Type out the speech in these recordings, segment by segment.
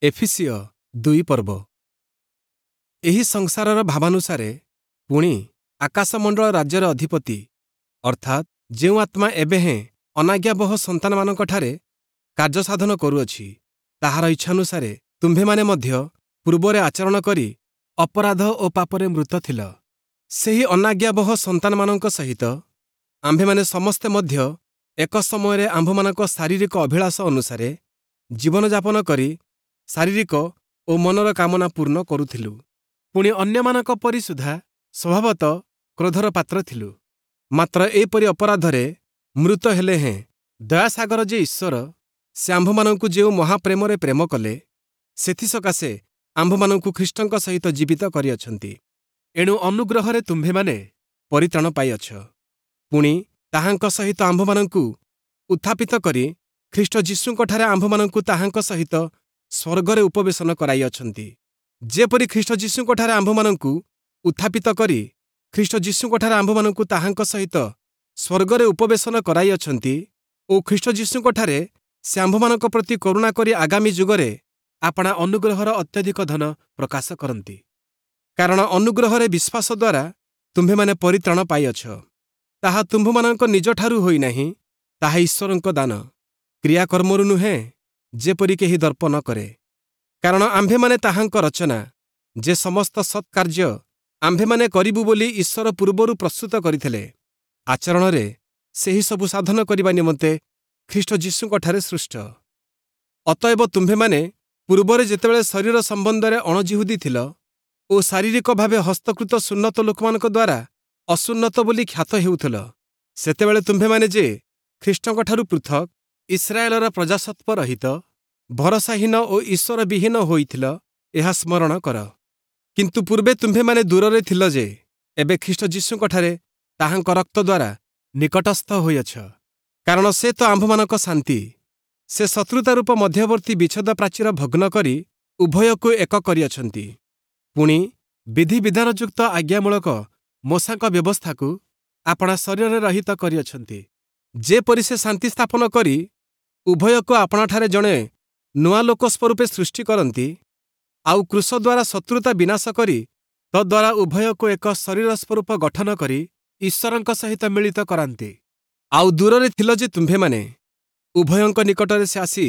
ଏଫିସୀୟ 2 ପର୍ବ। ଏହି ସଂସାରର ଭାବାନୁସାରେ ପୁଣି ଆକାଶମଣ୍ଡଳ ରାଜ୍ୟର ଅଧିପତି, ଅର୍ଥାତ୍ ଯେଉଁ ଆତ୍ମା ଏବେ ହେଁ ଅନାଜ୍ଞାବହ ସନ୍ତାନମାନଙ୍କଠାରେ କାର୍ଯ୍ୟସାଧନ କରୁଅଛି, ତାହାର ଇଚ୍ଛାନୁସାରେ ତୁମ୍ଭେମାନେ ମଧ୍ୟ ପୂର୍ବରେ ଆଚରଣ କରି ଅପରାଧ ଓ ପାପରେ ମୃତ ଥିଲ। ସେହି ଅନାଜ୍ଞାବହ ସନ୍ତାନମାନଙ୍କ ସହିତ ଆମ୍ଭେମାନେ ସମସ୍ତେ ମଧ୍ୟ ଏକ ସମୟରେ ଆମ୍ଭମାନଙ୍କ ଶାରୀରିକ ଅଭିଳାଷ ଅନୁସାରେ ଜୀବନଯାପନ କରି ଶାରୀରିକ ଓ ମନର କାମନା ପୂର୍ଣ୍ଣ କରୁଥିଲୁ। ପୁଣି ଅନ୍ୟମାନଙ୍କ ପରି ସୁଦ୍ଧା ସ୍ୱଭାବତଃ କ୍ରୋଧର ପାତ୍ର ଥିଲୁ। ମାତ୍ର ଏପରି ଅପରାଧରେ ମୃତ ହେଲେ ହେଁ ଦୟାସାଗର ଯେ ଈଶ୍ୱର, ସେ ଆମ୍ଭମାନଙ୍କୁ ଯେଉଁ ମହାପ୍ରେମରେ ପ୍ରେମ କଲେ, ସେଥିସକାଶେ ଆମ୍ଭମାନଙ୍କୁ ଖ୍ରୀଷ୍ଟଙ୍କ ସହିତ ଜୀବିତ କରିଅଛନ୍ତି। ଏଣୁ ଅନୁଗ୍ରହରେ ତୁମ୍ଭେମାନେ ପରିତ୍ରାଣ ପାଇଅଛ। ପୁଣି ତାହାଙ୍କ ସହିତ ଆମ୍ଭମାନଙ୍କୁ ଉତ୍ଥାପିତ କରି ଖ୍ରୀଷ୍ଟ ଯୀଶୁଙ୍କଠାରେ ଆମ୍ଭମାନଙ୍କୁ ତାହାଙ୍କ ସହିତ ସ୍ୱର୍ଗରେ ଉପବେଶନ କରାଇଅଛନ୍ତି। ଯେପରି ଖ୍ରୀଷ୍ଟ ଯୀଶୁଙ୍କଠାରେ ଆମ୍ଭମାନଙ୍କୁ ଉତ୍ଥାପିତ କରି ଖ୍ରୀଷ୍ଟ ଯୀଶୁଙ୍କଠାରେ ଆମ୍ଭମାନଙ୍କୁ ତାହାଙ୍କ ସହିତ ସ୍ୱର୍ଗରେ ଉପବେଶନ କରାଇଅଛନ୍ତି ଓ ଖ୍ରୀଷ୍ଟ ଯୀଶୁଙ୍କଠାରେ ସେ ଆମ୍ଭମାନଙ୍କ ପ୍ରତି କରୁଣା କରି ଆଗାମୀ ଯୁଗରେ ଆପଣା ଅନୁଗ୍ରହର ଅତ୍ୟଧିକ ଧନ ପ୍ରକାଶ କରନ୍ତି। କାରଣ ଅନୁଗ୍ରହରେ ବିଶ୍ୱାସ ଦ୍ୱାରା ତୁମ୍ଭେମାନେ ପରିତ୍ରାଣ ପାଇଅଛ। ତାହା ତୁମ୍ଭମାନଙ୍କ ନିଜଠାରୁ ହୋଇନାହିଁ, ତାହା ଈଶ୍ୱରଙ୍କ ଦାନ, କ୍ରିୟାକର୍ମରୁ ନୁହେଁ, ଯେପରି କେହି ଦର୍ପ ନ କରେ। କାରଣ ଆମ୍ଭେମାନେ ତାହାଙ୍କ ରଚନା, ଯେ ସମସ୍ତ ସତ୍କାର୍ଯ୍ୟ ଆମ୍ଭେମାନେ କରିବୁ ବୋଲି ଈଶ୍ୱର ପୂର୍ବରୁ ପ୍ରସ୍ତୁତ କରିଥିଲେ, ଆଚରଣରେ ସେହି ସବୁ ସାଧନ କରିବା ନିମନ୍ତେ ଖ୍ରୀଷ୍ଟ ଯୀଶୁଙ୍କଠାରେ ସୃଷ୍ଟ। ଅତଏବ ତୁମ୍ଭେମାନେ ପୂର୍ବରେ ଯେତେବେଳେ ଶରୀର ସମ୍ବନ୍ଧରେ ଅଣଜିହୁଦୀ ଥିଲ ଓ ଶାରୀରିକ ଭାବେ ହସ୍ତକୃତ ସୁନ୍ନତ ଲୋକମାନଙ୍କ ଦ୍ୱାରା ଅସୁନ୍ନତ ବୋଲି ଖ୍ୟାତ ହେଉଥିଲ, ସେତେବେଳେ ତୁମ୍ଭେମାନେ ଯେ ଖ୍ରୀଷ୍ଟଙ୍କଠାରୁ ପୃଥକ୍, ଇସ୍ରାଏଲର ପ୍ରଜାସତ୍ୱ ରହିତ, ଭରସାହୀନ ଓ ଈଶ୍ୱରବିହୀନ ହୋଇଥିଲ, ଏହା ସ୍ମରଣ କର। କିନ୍ତୁ ପୂର୍ବେ ତୁମ୍ଭେମାନେ ଦୂରରେ ଥିଲ ଯେ, ଏବେ ଖ୍ରୀଷ୍ଟ ଯୀଶୁଙ୍କଠାରେ ତାହାଙ୍କ ରକ୍ତ ଦ୍ୱାରା ନିକଟସ୍ଥ ହୋଇଅଛ। କାରଣ ସେ ତ ଆମ୍ଭମାନଙ୍କ ଶାନ୍ତି। ସେ ଶତ୍ରୁତା ରୂପ ମଧ୍ୟବର୍ତ୍ତୀ ବିଚ୍ଛେଦ ପ୍ରାଚୀର ଭଗ୍ନ କରି ଉଭୟକୁ ଏକ କରିଅଛନ୍ତି। ପୁଣି ବିଧିବିଧାନଯୁକ୍ତ ଆଜ୍ଞାମୂଳକ ମୋଶାଙ୍କ ବ୍ୟବସ୍ଥାକୁ ଆପଣା ଶରୀରରେ ରହିତ କରିଅଛନ୍ତି, ଯେପରି ସେ ଶାନ୍ତି ସ୍ଥାପନ କରି ଉଭୟକୁ ଆପଣାଠାରେ ଜଣେ ନୂଆ ଲୋକ ସ୍ୱରୂପେ ସୃଷ୍ଟି କରନ୍ତି, ଆଉ କ୍ରୁଶ ଦ୍ୱାରା ଶତ୍ରୁତା ବିନାଶ କରି ତଦ୍ୱାରା ଉଭୟକୁ ଏକ ଶରୀର ସ୍ୱରୂପ ଗଠନ କରି ଈଶ୍ୱରଙ୍କ ସହିତ ମିଳିତ କରାନ୍ତି। ଆଉ ଦୂରରେ ଥିଲ ଯେ ତୁମ୍ଭେମାନେ, ଉଭୟଙ୍କ ନିକଟରେ ସେ ଆସି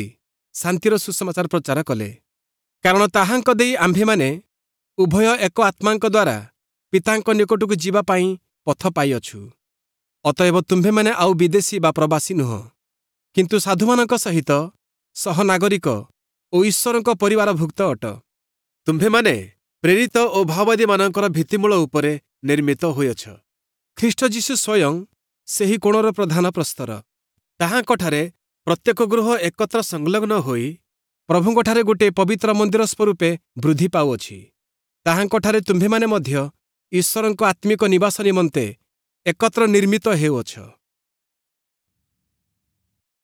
ଶାନ୍ତିର ସୁସମାଚାର ପ୍ରଚାର କଲେ। କାରଣ ତାହାଙ୍କ ଦେଇ ଆମ୍ଭେମାନେ ଉଭୟ ଏକ ଆତ୍ମାଙ୍କ ଦ୍ୱାରା ପିତାଙ୍କ ନିକଟକୁ ଯିବା ପାଇଁ ପଥ ପାଇଅଛୁ। ଅତଏବ ତୁମ୍ଭେମାନେ ଆଉ ବିଦେଶୀ ବା ପ୍ରବାସୀ ନୁହଁ, କିନ୍ତୁ ସାଧୁମାନଙ୍କ ସହିତ ସହନାଗରିକ ଓ ଈଶ୍ୱରଙ୍କ ପରିବାରଭୁକ୍ତ ଅଟ। ତୁମ୍ଭେମାନେ ପ୍ରେରିତ ଓ ଭାଓବାଦୀମାନଙ୍କର ଭିତ୍ତିମୂଳ ଉପରେ ନିର୍ମିତ ହୋଇଅଛ। ଖ୍ରୀଷ୍ଟ ଯୀଶୁ ସ୍ୱୟଂ ସେହି କୋଣର ପ୍ରଧାନ ପ୍ରସ୍ତର। ତାହାଙ୍କଠାରେ ପ୍ରତ୍ୟେକ ଗୃହ ଏକତ୍ର ସଂଲଗ୍ନ ହୋଇ ପ୍ରଭୁଙ୍କଠାରେ ଗୋଟିଏ ପବିତ୍ର ମନ୍ଦିର ସ୍ୱରୂପେ ବୃଦ୍ଧି ପାଉଅଛି। ତାହାଙ୍କଠାରେ ତୁମ୍ଭେମାନେ ମଧ୍ୟ ଈଶ୍ୱରଙ୍କ ଆତ୍ମିକ ନିବାସ ନିମନ୍ତେ ଏକତ୍ର ନିର୍ମିତ ହେଉଅଛ।